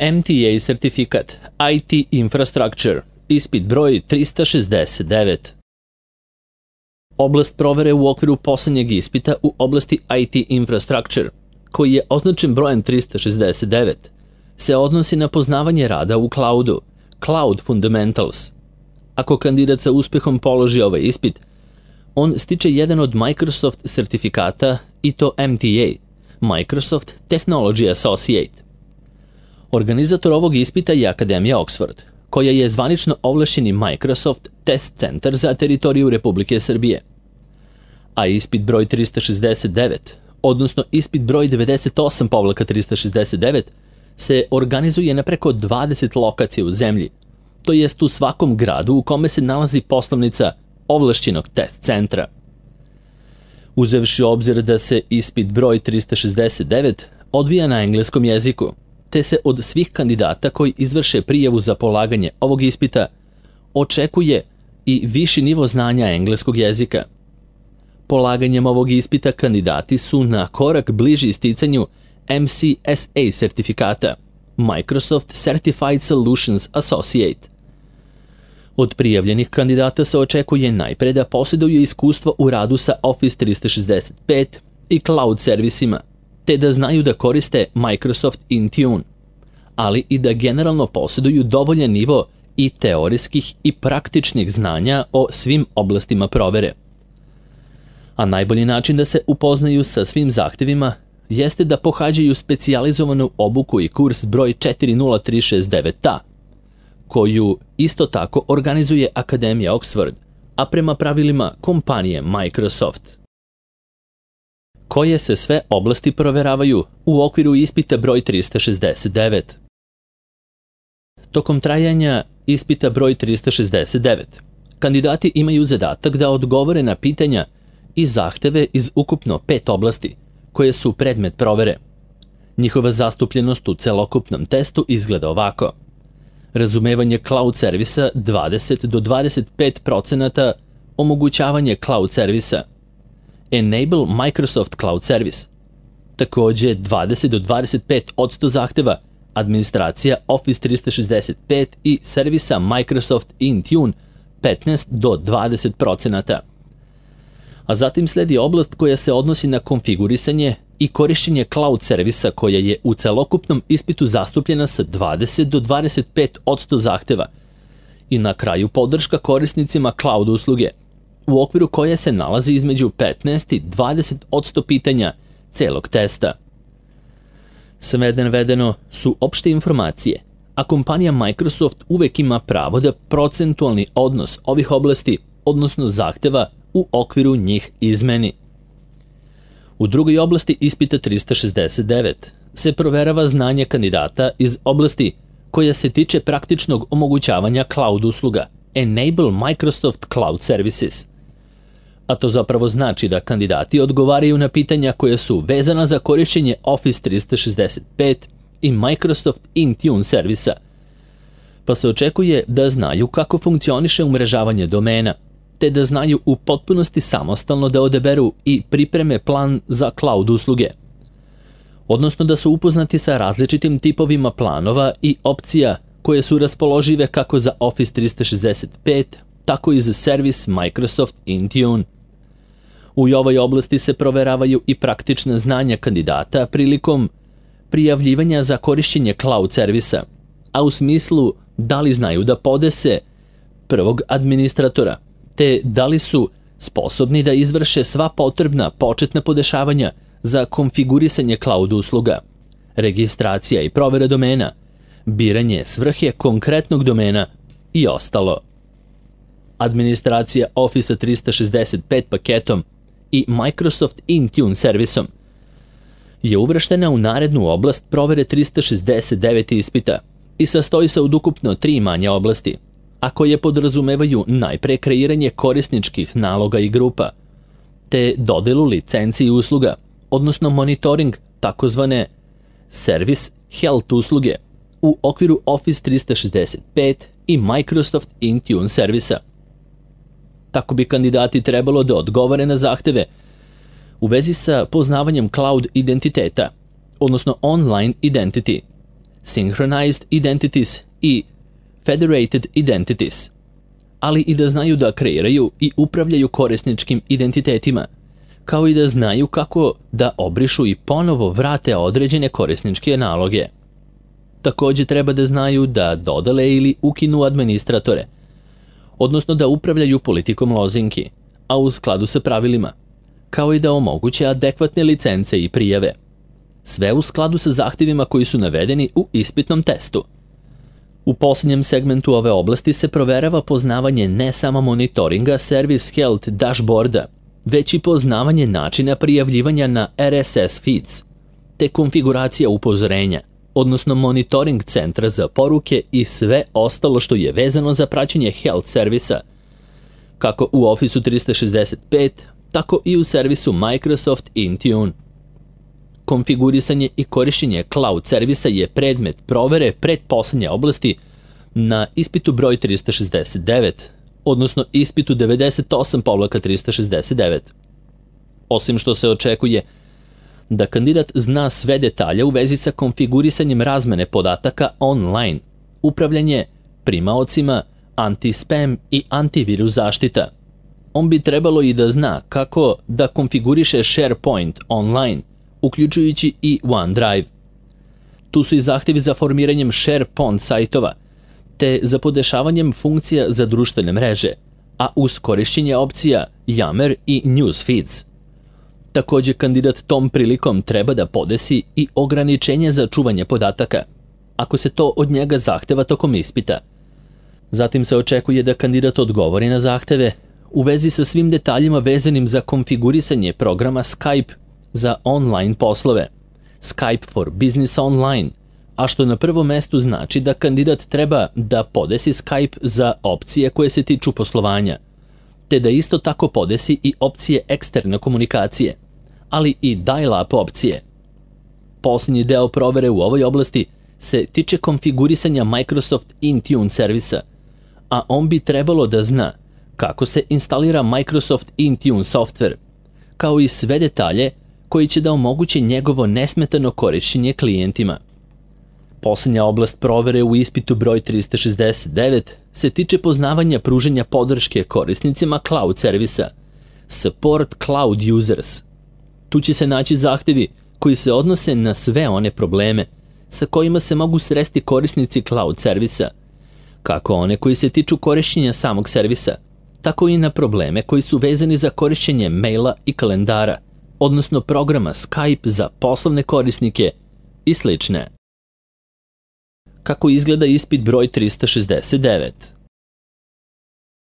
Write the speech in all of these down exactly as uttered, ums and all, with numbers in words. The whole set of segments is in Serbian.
M T A sertifikat I T Infrastructure, ispit broj trista šezdeset devet. Oblast provere u okviru poslednjeg ispita u oblasti I T Infrastructure, koji je označen brojem trista šezdeset devet, se odnosi na poznavanje rada u cloudu, Cloud Fundamentals. Ako kandidat sa uspehom položi ovaj ispit, on stiče jedan od Microsoft sertifikata i to M T A, Microsoft Technology Associate. Organizator ovog ispita je Akademija Oxford, koja je zvanično ovlašćeni Microsoft Test Centar za teritoriju Republike Srbije. A ispit broj trista šezdeset devet, odnosno ispit broj devedeset osam trista šezdeset devet, se organizuje na preko dvadeset lokacija u zemlji, to jest u svakom gradu u kome se nalazi poslovnica ovlašćenog test centra. Uzevši obzir da se ispit broj trista šezdeset devet odvija na engleskom jeziku, te se od svih kandidata koji izvrše prijavu za polaganje ovog ispita očekuje i viši nivo znanja engleskog jezika. Polaganjem ovog ispita kandidati su na korak bliži sticanju M C S A sertifikata, Microsoft Certified Solutions Associate. Od prijavljenih kandidata se očekuje najpre da posjeduju iskustvo u radu sa Office trista šezdeset pet i cloud servisima, te da znaju da koriste Microsoft Intune, ali i da generalno posjeduju dovoljan nivo i teorijskih i praktičnih znanja o svim oblastima provere. A najbolji način da se upoznaju sa svim zahtevima jeste da pohađaju specijalizovanu obuku i kurs broj četiri nula tri šest devet A, koju isto tako organizuje Akademija Oxford, a prema pravilima kompanije Microsoft. Koje se sve oblasti proveravaju u okviru ispita broj trista šezdeset devet? Tokom trajanja ispita broj trista šezdeset devet, kandidati imaju zadatak da odgovore na pitanja i zahteve iz ukupno pet oblasti, koje su predmet provere. Njihova zastupljenost u celokupnom testu izgleda ovako: razumevanje cloud servisa dvadeset do dvadeset pet procenata, omogućavanje cloud servisa, Enable Microsoft Cloud Service, takođe dvadeset do dvadeset pet posto zahteva, administracija Office trista šezdeset pet i servisa Microsoft Intune petnaest do dvadeset procenata. A zatim sledi oblast koja se odnosi na konfigurisanje i korišćenje cloud servisa koja je u celokupnom ispitu zastupljena sa dvadeset do dvadeset pet posto zahteva i na kraju podrška korisnicima cloud usluge, u okviru koje se nalazi između petnaest i dvadeset posto pitanja celog testa. Sve navedeno su opšte informacije, a kompanija Microsoft uvek ima pravo da procentualni odnos ovih oblasti, odnosno zahteva, u okviru njih izmeni. U drugoj oblasti ispita trista šezdeset devet se proverava znanje kandidata iz oblasti koja se tiče praktičnog omogućavanja cloud usluga, Enable Microsoft Cloud Services. A to zapravo znači da kandidati odgovaraju na pitanja koja su vezana za korišćenje Office trista šezdeset pet i Microsoft Intune servisa, pa se očekuje da znaju kako funkcioniše umrežavanje domena, te da znaju u potpunosti samostalno da odaberu i pripreme plan za cloud usluge, odnosno da su upoznati sa različitim tipovima planova i opcija koje su raspoložive kako za Office trista šezdeset pet, tako i za servis Microsoft Intune. U ovoj oblasti se proveravaju i praktična znanja kandidata prilikom prijavljivanja za korišćenje cloud servisa, a u smislu da li znaju da podese prvog administratora, te da li su sposobni da izvrše sva potrebna početna podešavanja za konfigurisanje cloud usluga, registracija i provera domena, biranje svrhe konkretnog domena i ostalo. Administracija Office trista šezdeset pet paketom i Microsoft Intune servisom je uvrštena u narednu oblast provere trista šezdeset devet ispita i sastoji se od ukupno tri manje oblasti, a koje podrazumevaju najpre kreiranje korisničkih naloga i grupa, te dodelu licenci i usluga, odnosno monitoring takozvane Service Health usluge u okviru Office trista šezdeset pet i Microsoft Intune servisa. Tako bi kandidati trebalo da odgovore na zahteve u vezi sa poznavanjem cloud identiteta, odnosno online identity, Synchronized Identities i Federated Identities, ali i da znaju da kreiraju i upravljaju korisničkim identitetima, kao i da znaju kako da obrišu i ponovo vrate određene korisničke naloge. Takođe treba da znaju da dodele ili ukinu administratore, odnosno da upravljaju politikom lozinki, a u skladu sa pravilima, kao i da omoguće adekvatne licence i prijave. Sve u skladu sa zahtevima koji su navedeni u ispitnom testu. U posljednjem segmentu ove oblasti se proverava poznavanje ne samo monitoringa Service Health dashboarda, već i poznavanje načina prijavljivanja na R S S feeds, te konfiguracija upozorenja, odnosno monitoring centra za poruke i sve ostalo što je vezano za praćenje health servisa, kako u Office trista šezdeset pet, tako i u servisu Microsoft Intune. Konfigurisanje i korišćenje cloud servisa je predmet provere pretposlednje oblasti na ispitu broj trista šezdeset devet, odnosno ispitu devedeset osam trista šezdeset devet. Osim što se očekuje da kandidat zna sve detalje u vezi sa konfigurisanjem razmene podataka online, upravljanje primaocima, anti-spam i antivirus zaštita. On bi trebalo i da zna kako da konfiguriše SharePoint online, uključujući i OneDrive. Tu su i zahtevi za formiranjem SharePoint sajtova, te za podešavanjem funkcija za društvene mreže, a uz korišćenje opcija Yammer i Newsfeeds. Takođe, kandidat tom prilikom treba da podesi i ograničenje za čuvanje podataka, ako se to od njega zahteva tokom ispita. Zatim se očekuje da kandidat odgovori na zahteve u vezi sa svim detaljima vezanim za konfigurisanje programa Skype za online poslove, Skype for Business Online, a što na prvom mestu znači da kandidat treba da podesi Skype za opcije koje se tiču poslovanja, te da isto tako podesi i opcije eksterne komunikacije, ali i dial-up opcije. Posljednji deo provere u ovoj oblasti se tiče konfigurisanja Microsoft Intune servisa, a on bi trebalo da zna kako se instalira Microsoft Intune software, kao i sve detalje koji će da omoguće njegovo nesmetano korišćenje klijentima. Posljednja oblast provere u ispitu broj trista šezdeset devet se tiče poznavanja pruženja podrške korisnicima cloud servisa, Support Cloud Users. Tu će se naći zahtevi koji se odnose na sve one probleme sa kojima se mogu sresti korisnici cloud servisa, kako one koji se tiču korišćenja samog servisa, tako i na probleme koji su vezani za korišćenje maila i kalendara, odnosno programa Skype za poslovne korisnike i slične. Kako izgleda ispit broj trista šezdeset devet?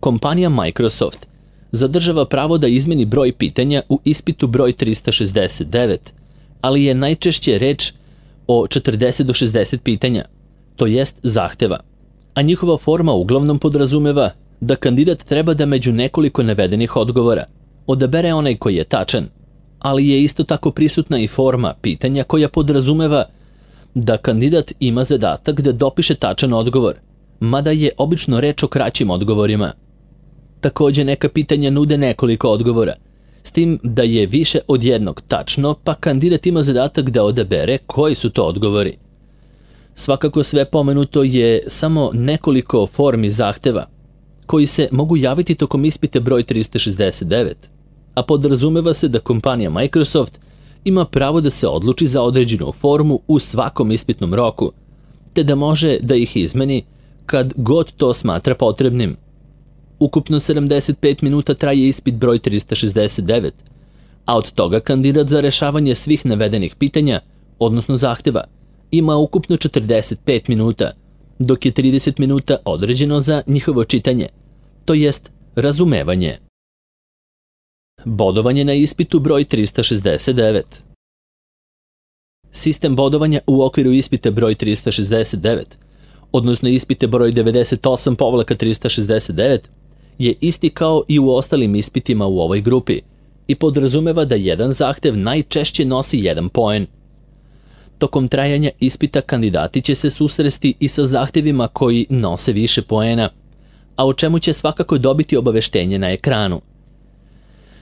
Kompanija Microsoft zadržava pravo da izmeni broj pitanja u ispitu broj trista šezdeset devet, ali je najčešće reč o četrdeset do šezdeset pitanja, to jest zahteva, a njihova forma uglavnom podrazumeva da kandidat treba da među nekoliko navedenih odgovora odabere onaj koji je tačan, ali je isto tako prisutna i forma pitanja koja podrazumeva da kandidat ima zadatak da dopiše tačan odgovor, mada je obično reč o kraćim odgovorima. Takođe, neka pitanja nude nekoliko odgovora, s tim da je više od jednog tačno, pa kandidat ima zadatak da odabere koji su to odgovori. Svakako sve pomenuto je samo nekoliko formi zahteva, koji se mogu javiti tokom ispita broj trista šezdeset devet, a podrazumeva se da kompanija Microsoft ima pravo da se odluči za određenu formu u svakom ispitnom roku, te da može da ih izmeni kad god to smatra potrebnim. Ukupno sedamdeset pet minuta traje ispit broj trista šezdeset devet, a od toga kandidat za rešavanje svih navedenih pitanja, odnosno zahteva, ima ukupno četrdeset pet minuta, dok je trideset minuta određeno za njihovo čitanje, to jest razumevanje. Bodovanje na ispitu broj trista šezdeset devet. Sistem bodovanja u okviru ispita broj trista šezdeset devet, odnosno ispite broj devedeset osam trista šezdeset devet, je isti kao i u ostalim ispitima u ovoj grupi i podrazumeva da jedan zahtev najčešće nosi jedan poen. Tokom trajanja ispita kandidati će se susresti i sa zahtevima koji nose više poena, a o čemu će svakako dobiti obaveštenje na ekranu.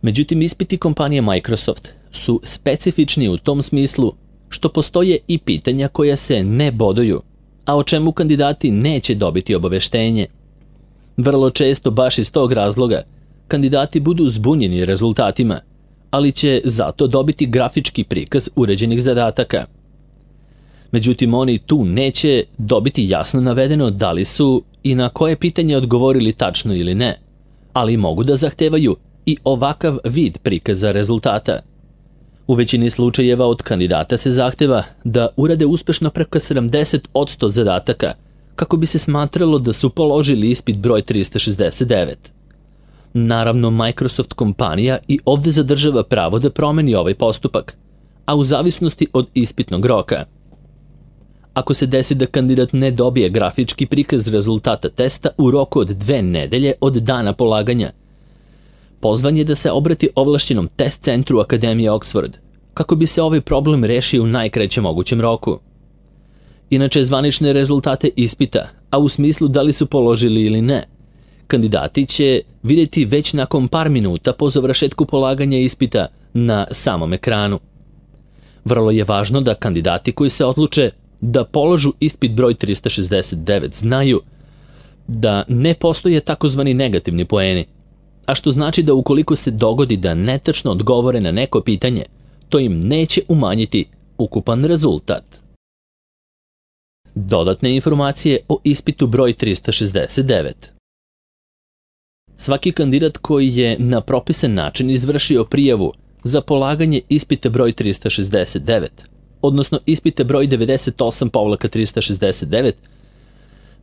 Međutim, ispiti kompanije Microsoft su specifični u tom smislu što postoje i pitanja koja se ne boduju, a o čemu kandidati neće dobiti obaveštenje. Vrlo često baš iz tog razloga kandidati budu zbunjeni rezultatima, ali će zato dobiti grafički prikaz uređenih zadataka. Međutim, oni tu neće dobiti jasno navedeno da li su i na koje pitanje odgovorili tačno ili ne, ali mogu da zahtevaju i ovakav vid prikaza rezultata. U većini slučajeva od kandidata se zahteva da urade uspešno preko sedamdeset posto zadataka kako bi se smatralo da su položili ispit broj trista šezdeset devet. Naravno, Microsoft kompanija i ovde zadržava pravo da promeni ovaj postupak, a u zavisnosti od ispitnog roka. Ako se desi da kandidat ne dobije grafički prikaz rezultata testa u roku od dve nedelje od dana polaganja, pozvan je da se obrati ovlašćenom test centru Akademije Oxford, kako bi se ovaj problem rešio u najkraćem mogućem roku. Inače, zvanične rezultate ispita, a u smislu da li su položili ili ne, kandidati će vidjeti već nakon par minuta po završetku polaganja ispita na samom ekranu. Vrlo je važno da kandidati koji se odluče da položu ispit broj trista šezdeset devet znaju da ne postoje takozvani negativni poeni, a što znači da ukoliko se dogodi da netačno odgovore na neko pitanje, to im neće umanjiti ukupan rezultat. Dodatne informacije o ispitu broj trista šezdeset devet. Svaki kandidat koji je na propisan način izvršio prijavu za polaganje ispita broj trista šezdeset devet, odnosno ispita broj devedeset osam trista šezdeset devet,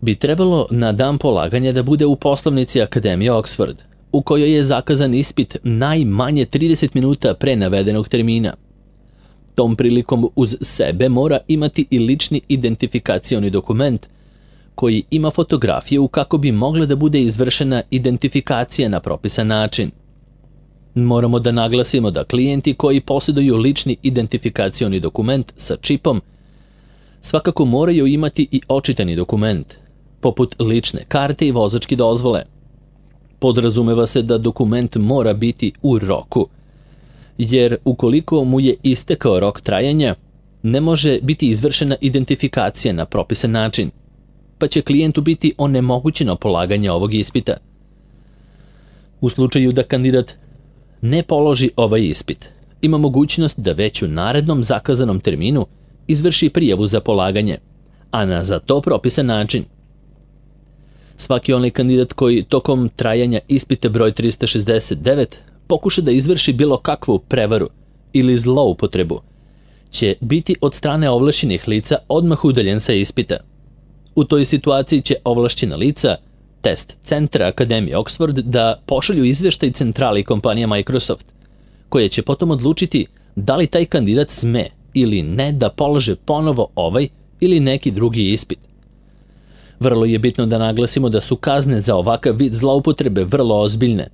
bi trebalo na dan polaganja da bude u poslovnici Akademije Oxford, u kojoj je zakazan ispit najmanje trideset minuta pre navedenog termina. Tom prilikom uz sebe mora imati i lični identifikacioni dokument koji ima fotografiju kako bi mogla da bude izvršena identifikacija na propisan način. Moramo da naglasimo da klijenti koji posjeduju lični identifikacioni dokument sa čipom svakako moraju imati i očitani dokument, poput lične karte i vozačke dozvole. Podrazumeva se da dokument mora biti u roku, jer ukoliko mu je istekao rok trajanja, ne može biti izvršena identifikacija na propisan način, pa će klijentu biti onemogućeno polaganje ovog ispita. U slučaju da kandidat ne položi ovaj ispit, ima mogućnost da već u narednom zakazanom terminu izvrši prijavu za polaganje, a na za to propisan način. Svaki onaj kandidat koji tokom trajanja ispita broj trista šezdeset devet pokuša da izvrši bilo kakvu prevaru ili zloupotrebu, će biti od strane ovlašćenih lica odmah udaljen sa ispita. U toj situaciji će ovlašćena lica test centra Akademije Oxford da pošalju izveštaj centrali kompanija Microsoft, koja će potom odlučiti da li taj kandidat sme ili ne da polože ponovo ovaj ili neki drugi ispit. Vrlo je bitno da naglasimo da su kazne za ovakav vid zloupotrebe vrlo ozbiljne,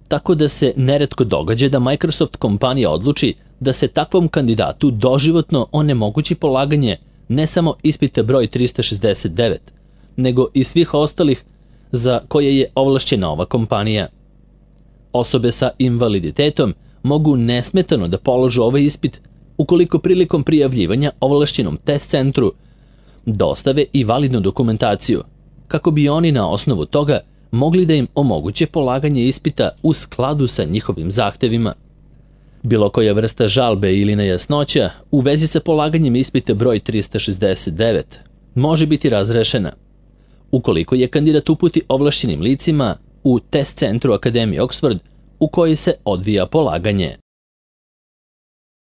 tako da se neretko događa da Microsoft kompanija odluči da se takvom kandidatu doživotno onemogući polaganje ne samo ispita broj trista šezdeset devet, nego i svih ostalih za koje je ovlašćena ova kompanija. Osobe sa invaliditetom mogu nesmetano da položu ovaj ispit ukoliko prilikom prijavljivanja ovlašćenom test centru dostave i validnu dokumentaciju, kako bi oni na osnovu toga mogli da im omoguće polaganje ispita u skladu sa njihovim zahtevima. Bilo koja vrsta žalbe ili nejasnoća u vezi sa polaganjem ispita broj trista šezdeset devet može biti razrešena ukoliko je kandidat uputi ovlašćenim licima u test centru Akademije Oxford u kojoj se odvija polaganje.